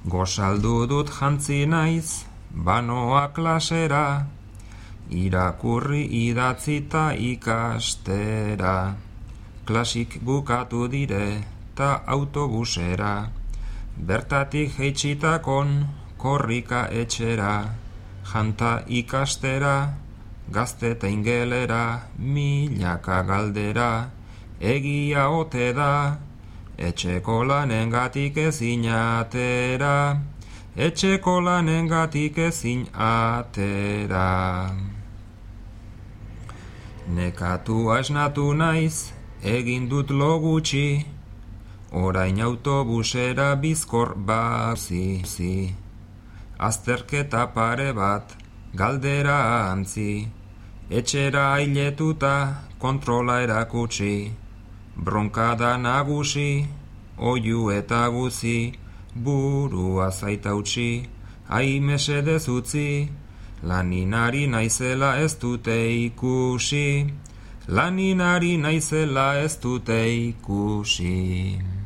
Gozaldu dut jantzi naiz, banoa klasera, irakurri idatzita ikastera. Klasik bukatu dire, ta autobusera, bertatik jeitxitakon, korrika etxera, janta ikastera, gazte ta ingelera, milaka galdera, egia ote da, etxeko lanengatik ezin atera, etxeko lanengatik ezin atera. Nekatua esnatu naiz, egin dut lo gutxi, orain autobusera bizkor bazi. Azterketa pare bat, galdera antzi, etxera ailetuta kontrola erakutsi, bronkada nagusi, oiu eta guzi, burua zaitautsi, ai mesedez utzi, laninari naizela ez dute ikusi, laninari naizela ez dute ikusi.